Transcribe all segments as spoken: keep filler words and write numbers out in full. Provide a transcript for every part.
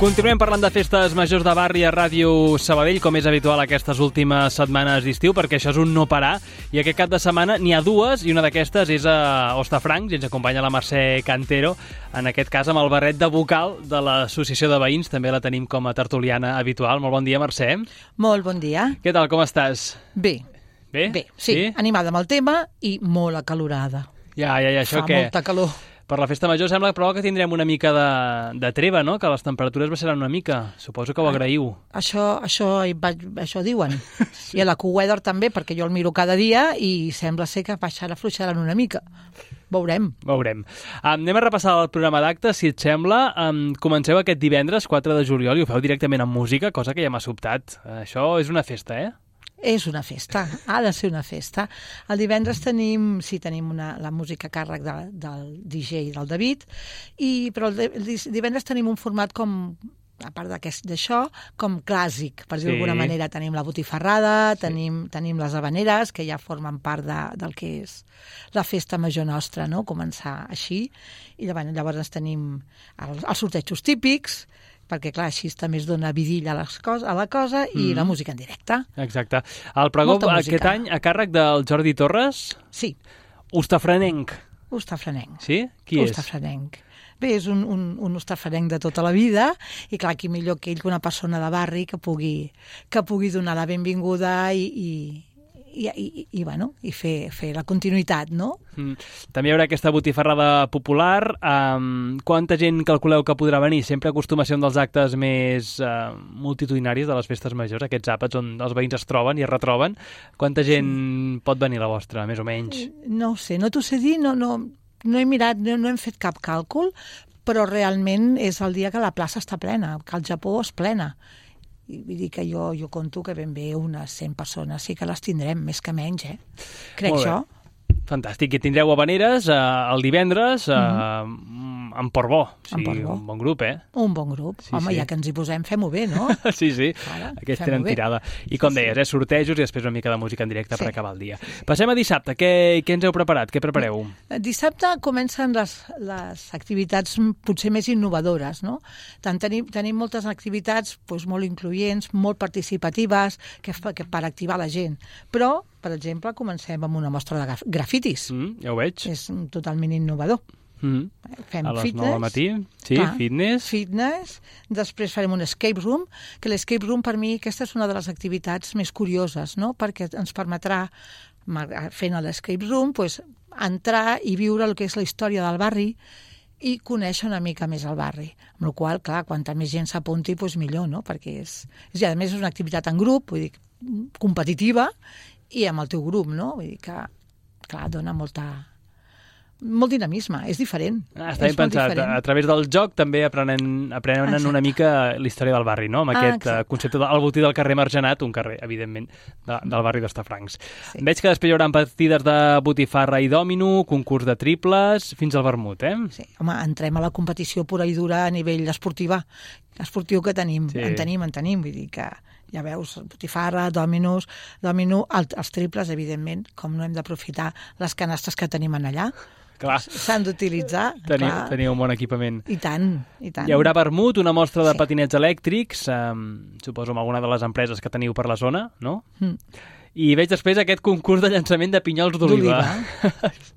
Continuem parlant de festes majors de barri a Ràdio Sabadell, com és habitual aquestes últimes setmanes d'estiu, perquè això és un no parar. I aquest cap de setmana n'hi ha dues, i una d'aquestes és a Hostafrancs, i ens acompanya la Mercè Cantero, en aquest cas amb el barret de vocal de l'Associació de Veïns. També la tenim com a tertuliana habitual. Molt bon dia, Mercè. Molt bon dia. Què tal, com estàs? Bé. Bé? Bé, sí. sí. Animada amb el tema i molt acalorada. Ja, ja, ja, això Fa que... molta calor. Per la festa major sembla però que tindrem una mica de, de treva, no? Que les temperatures baixaran una mica. Suposo que ho agraïu. Això, això, això diuen. Sí. I a la Q-Weather també, perquè jo el miro cada dia i sembla ser que baixarà, afluixaran una mica. Veurem. Veurem. Um, anem a repassar el programa d'actes, si et sembla. Um, comenceu aquest divendres, quatre de juliol, i ho feu directament amb música, cosa que ja m'ha sobtat. Uh, això és una festa, eh? És una festa, ha de ser una festa. El divendres tenim, sí, tenim una, la música a càrrec de, del D J del David, i, però el, el divendres tenim un format com, a part d'això, com clàssic, per dir-ho sí. d'alguna manera. Tenim la botifarrada, sí. tenim, tenim les habaneres, que ja formen part de, del que és la festa major nostra, no? Començar així. I llavors, llavors tenim els, els sortejos típics, perquè, clar, així també es dona vidilla a, les cos, a la cosa, i mm. la música en directe. Exacte. El pregó aquest any a càrrec del Jordi Torres? Sí. Hostafranenc. Hostafranenc. Sí? Qui és? Hostafranenc. Bé, és un, un, un hostafranenc de tota la vida, i clar, qui millor que ell, que una persona de barri que pugui, que pugui donar la benvinguda i... i I, i, i, bueno, i fer, fer la continuïtat, no? Mm. També hi haurà aquesta botifarrada popular. Um, quanta gent calculeu que podrà venir? Sempre acostuma a ser un dels actes més uh, multitudinaris de les festes majors, aquests àpats on els veïns es troben i es retroben. Quanta gent sí. pot venir a la vostra, més o menys? No ho sé, no t'ho sé dir, no, no, no he mirat, no, no hem fet cap càlcul, però realment és el dia que la plaça està plena, que el Japó és plena. I vull dir que jo, jo conto que ben bé unes cent persones sí que les tindrem, més que menys, eh? Crec jo. Fantàstic. I tindreu habaneres eh, el divendres eh, mm-hmm. en Portbó. O sigui, Portbó. Un bon grup, eh? Un bon grup. Sí, Home, sí. ja que ens hi posem, fem-ho bé, no? sí, sí. Ara, Aquests tenen bé. tirada. I com sí, deies, eh, sortejos i després una mica de música en directe sí. per acabar el dia. Sí, sí. Passem a dissabte. Què, què ens heu preparat? Què prepareu? Dissabte comencen les, les activitats potser més innovadores, no? Tant tenim, tenim moltes activitats doncs, molt incloents, molt participatives, que, que per activar la gent. Però, per exemple, comencem amb una mostra de grafitis. Mm, ja ho veig. És totalment innovador. Mm. Fem a les fitness, nou del matí, sí, clar, fitness. Fitness, després farem un escape room, que l'escape room per mi aquesta és una de les activitats més curioses, no? Perquè ens permetrà, fent l'escape room, pues, entrar i viure el que és la història del barri i conèixer una mica més el barri. Amb la qual cosa, clar, quanta més gent s'apunti, pues, millor, no? Perquè és, és, a més és una activitat en grup, vull dir, competitiva, i amb el teu grup, no? Vull dir que, clar, dona molta... molt dinamisme, és diferent. Ah, està ben pensat. A través del joc també aprenen, aprenen exacte. una mica la història del barri, no? Amb ah, aquest exacte. concepte del botí del carrer Margenat, un carrer, evidentment, de, del barri d'Hostafrancs. Sí. Veig que després hi haurà partides de botifarra i dòmino, concurs de triples, fins al vermut, eh? Sí, home, entrem a la competició pura i dura a nivell esportiva. Esportiu que tenim, sí. en tenim, en tenim, vull dir que... Ja veus, botifarra, dòminos, dòmino, els triples, evidentment, com no hem d'aprofitar les canastes que tenim en allà. Clar. S'han d'utilitzar. Teniu, teniu un bon equipament. I tant, i tant. Hi haurà vermut, una mostra de sí. patinets elèctrics, um, suposo amb alguna de les empreses que teniu per la zona, no? Mm. I veig després aquest concurs de llançament de pinyols d'oliva.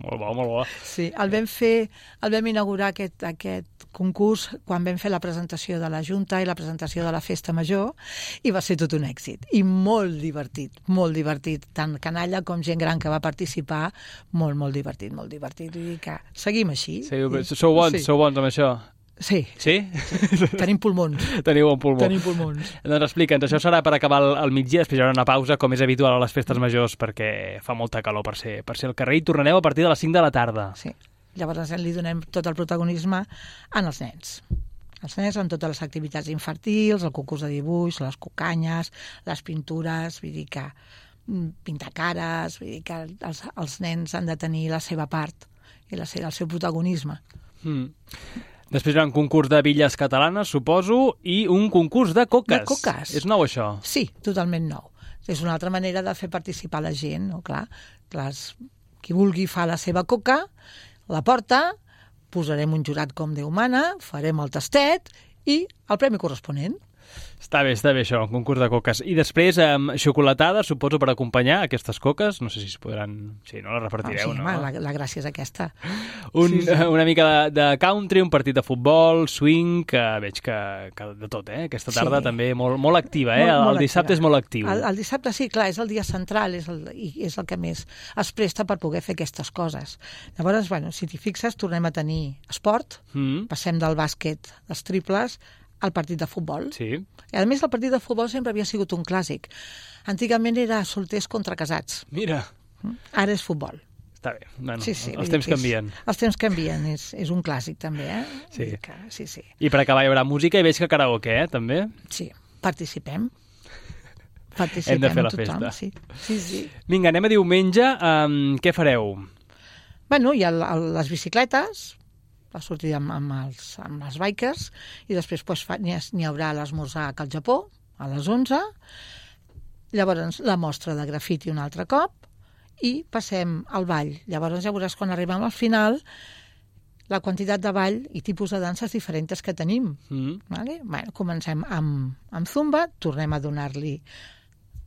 molt bo, molt bo. Sí, el vam fer, el vam inaugurar aquest, aquest concurs quan vam fer la presentació de la Junta i la presentació de la Festa Major, i va ser tot un èxit. I molt divertit, molt divertit. Tant canalla com gent gran que va participar, molt, molt divertit, molt divertit. Vull dir que seguim així. Sí, sou bons, sí. sou bons amb això. Sí. Sí? sí. Tenim pulmons. Teniu un pulmó. Tenim pulmons. Doncs explica'ns, això serà per acabar el, el migdia, després hi haurà una pausa, com és habitual a les festes majors, perquè fa molta calor per ser, per ser al carrer, i tornareu a partir de les cinc de la tarda. Sí. Llavors li donem tot el protagonisme als nens. Els nens amb totes les activitats infantils, el concurs de dibuix, les cucanyes, les pintures, vull dir que pintar cares, vull dir que els, els nens han de tenir la seva part i la, el seu protagonisme. Mm. Després hi ha un concurs de billes catalanes, suposo, i un concurs de coques. De coques. És nou, això? Sí, totalment nou. És una altra manera de fer participar la gent, no? Clar, les, qui vulgui fa la seva coca, la porta, posarem un jurat com Déu mana, farem el tastet i el premi corresponent. Està bé, està bé això, un concurs de coques. I després, um, xocolatada, suposo, per acompanyar aquestes coques. No sé si es podran... Sí, no les repartireu, oh, sí, no? Home, la, la gràcia és aquesta. Un, sí, sí. Una mica de, de country, un partit de futbol, swing, que veig que, que de tot, eh? Aquesta tarda sí. també molt, molt activa, eh? Molt, el, molt el dissabte activa. és molt actiu. El, el dissabte sí, clar, és el dia central, és el, i és el que més es presta per poder fer aquestes coses. Llavors, bueno, si t'hi fixes, tornem a tenir esport, Mm. passem del bàsquet, dels triples, al partit de futbol. Sí. I a més, el partit de futbol sempre havia sigut un clàssic. Antigament era solters contra casats. Mira. Ara és futbol. Està bé. Bueno, sí, sí, els temps és, canvien. Els temps canvien, és, és un clàssic també, eh? Sí. Que, sí, sí. I per acabar hi haurà música i veig que karaoke, eh, també? Sí, participem. Participem Hem de fer la tothom, festa. Sí, sí, sí. Vinga, anem a diumenge. Um, què fareu? Bueno, hi ha el, el, les bicicletes, va sortir amb, amb, els, amb els bikers, i després pues, fa, n'hi, ha, n'hi haurà l'esmorzar al Japó, a les onze, llavors la mostra de grafiti un altre cop, i passem al ball. Llavors ja veuràs quan arribem al final la quantitat de ball i tipus de danses diferents que tenim. Mm. Vale? Bueno, comencem amb, amb Zumba, tornem a donar-li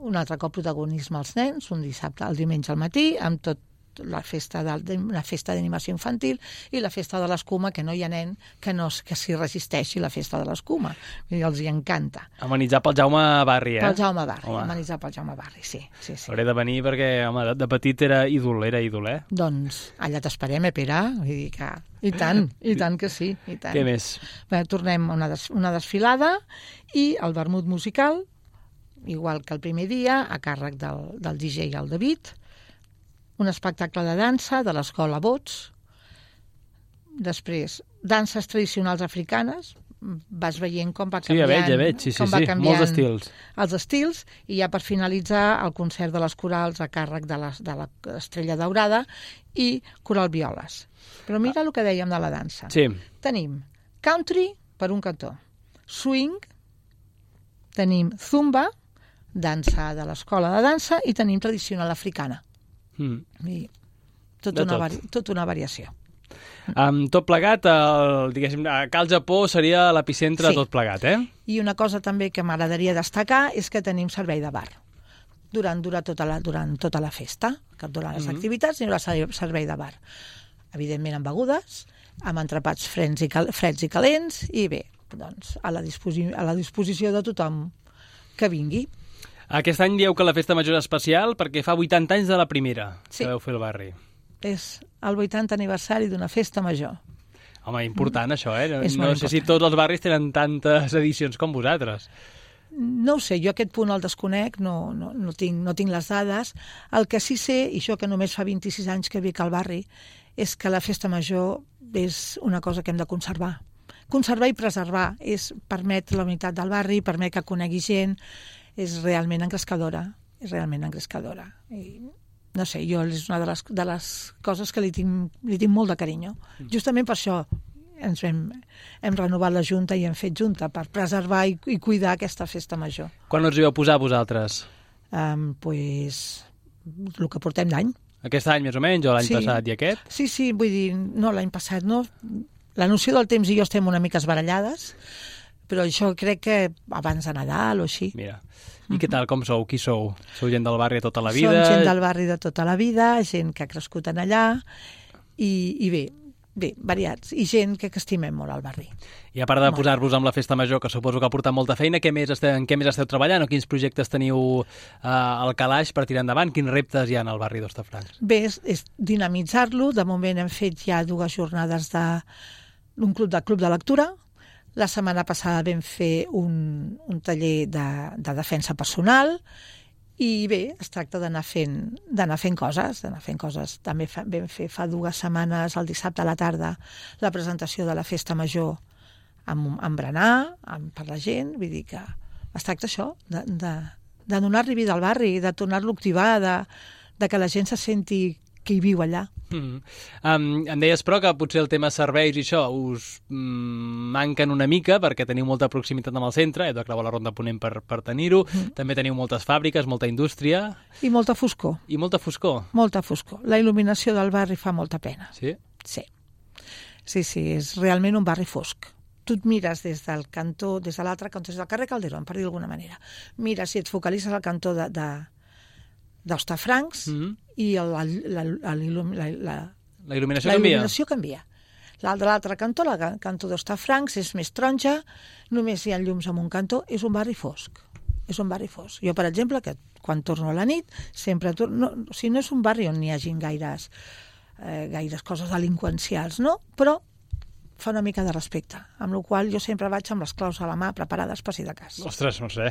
un altre cop protagonisme als nens, un dissabte, el diumenge al matí, amb tot la festa de, una festa d'animació infantil i la festa de l'escuma, que no hi ha nen que no que s'hi resisteixi la festa de l'escuma. Els hi encanta. Amenitzar pel Jaume Barri, eh? Pel Jaume Barri, home. amenitzar pel Jaume Barri, sí. sí, sí. Hauré de venir perquè, home, de, de petit era ídol, era ídol, eh? Doncs allà t'esperem, eh, Pere? Vull dir que... I tant, i tant que sí, i tant. Què més? Bé, tornem a una, des, una desfilada i el vermut musical, igual que el primer dia, a càrrec del, del D J el David, un espectacle de dansa de l'escola Bots, després danses tradicionals africanes, vas veient com va canviant, sí, ja veig, ja veig. Sí, sí, com va sí. canviant Molts estils. els estils, i ja per finalitzar el concert de les corals a càrrec de, les, de l'Estrella Daurada i Coral Violes. Però mira el que dèiem de la dansa. Sí. Tenim country per un cantó, swing, tenim zumba, dansa de l'escola de dansa, i tenim tradicional africana. Mm. I tot De una, tot. vari, tot una variació. Um, tot plegat, el, diguéssim, Cal Japó seria l'epicentre Sí. de tot plegat, eh? I una cosa també que m'agradaria destacar és que tenim servei de bar durant, durant, tota, la, durant tota la festa, que durant les Mhm. activitats hi haurà ser- servei de bar. Evidentment amb begudes, amb entrepats freds i, cal, freds i calents, i bé, doncs a la, disposi a la disposició de tothom que vingui. Aquest any dieu que la festa major és especial perquè fa vuitanta anys de la primera Sí. que veu fer el barri. És el vuitanta aniversari d'una festa major. Home, important això, eh? No, És no molt sé si important. tots els barris tenen tantes edicions com vosaltres. No ho sé, jo aquest punt el desconec, no, no, no, tinc, no tinc les dades. El que sí sé, i això que només fa vint-i-sis anys que vic al barri, és que la festa major és una cosa que hem de conservar. Conservar i preservar, és permet la unitat del barri, permet que conegui gent, és realment engrescadora, és realment engrescadora. I, no sé, jo és una de les, de les coses que li tinc, li tinc molt de carinyo. Justament per això ens hem, hem renovat la Junta i hem fet Junta, per preservar i, i cuidar aquesta festa major. Quan us hi vau posar vosaltres? Um, pues, el que portem d'any. Aquest any més o menys, o l'any Sí. passat i aquest? Sí, sí, vull dir, no, l'any passat no. La noció del temps i jo estem una mica esbarallades, però això crec que abans de Nadal o així. Mira. I què tal, com sou? Qui sou? Sou gent del barri de tota la vida? Som gent del barri de tota la vida, gent que ha crescut en allà, i, i bé, bé, variats, i gent que, que estimem molt al barri. I a part de Molt. posar-vos amb la festa major, que suposo que ha portat molta feina, què més esteu, en què més esteu treballant o quins projectes teniu eh, al calaix per tirar endavant? Quins reptes hi ha al barri d'Hostafrancs? Bé, és, és dinamitzar-lo. De moment hem fet ja dues jornades de, d'un club de club de lectura. La setmana passada vam fer un, un taller de, de defensa personal, i bé, es tracta d'anar fent, d'anar fent coses, d'anar fent coses. També fa, vam fer fa dues setmanes, el dissabte a la tarda, la presentació de la festa major amb, amb berenar, amb, per la gent. Vull dir que es tracta això, de, de, de donar-li vida al barri, de tornar-lo a activar, de, de que la gent se senti que hi viu allà. Mm. Um, em deies, però, que potser el tema serveis i això us mm, manquen una mica perquè teniu molta proximitat amb el centre, heu de creuar la Ronda Ponent per, per tenir-ho, mm. també teniu moltes fàbriques, molta indústria I molta foscor, i molta foscor. molta foscor. La il·luminació del barri fa molta pena. Sí? Sí. Sí, sí, és realment un barri fosc. tu et mires des del cantó, des de l'altre cantó, des del carrer Calderón, per dir d'alguna manera. Mires i et focalitzes al cantó de, de, d'Hostafrancs mm-hmm. i el, la, la, la, la, la, la il·luminació la canvia. il·luminació canvia. De l'altre cantó, el cantó d'Hostafrancs, és més taronja, només hi ha llums en un cantó, és un barri fosc. És un barri fosc. Jo, per exemple, que quan torno a la nit, sempre torno... No, o sigui, no és un barri on n'hi hagin gaires, eh, gaires coses delinqüencials, no? Però fa una mica de respecte, amb la qual jo sempre vaig amb les claus a la mà preparades per si de cas. Ostres, no sé.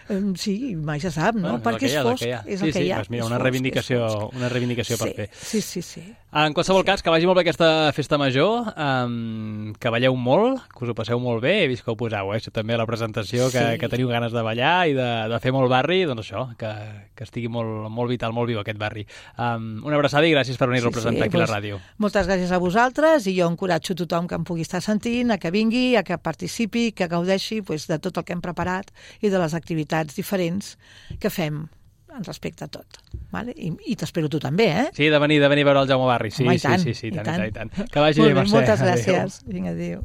Um, sí, mai se sap, no? Bueno, perquè és fosc. És el sí, que hi ha. Sí, sí, mira, una reivindicació, una reivindicació sí, per fer. Sí, sí, sí. En qualsevol sí. cas, que vagi molt bé aquesta festa major, um, que balleu molt, que us ho passeu molt bé, he vist que ho poseu, eh? Això també a la presentació, que, sí. que teniu ganes de ballar i de, de fer molt barri, doncs això, que, que estigui molt, molt vital, molt viu aquest barri. Um, una abraçada i gràcies per venir sí, a representar sí, aquí doncs, la ràdio. Moltes gràcies a vosaltres i jo encoratjo tothom que em pugui estar sentint, a que vingui, a que participi, que gaudeixi pues, de tot el que hem preparat i de les activitats diferents que fem en respecte a tot. Vale? I, i t'espero tu també, eh? Sí, de venir, de venir a veure el Jaume Barri. Sí, Home, sí, tant, sí, sí, i tant, tant. i tant, i tant. Que vagi bé, Mercè. Moltes gràcies. Adéu. Vinga, adéu.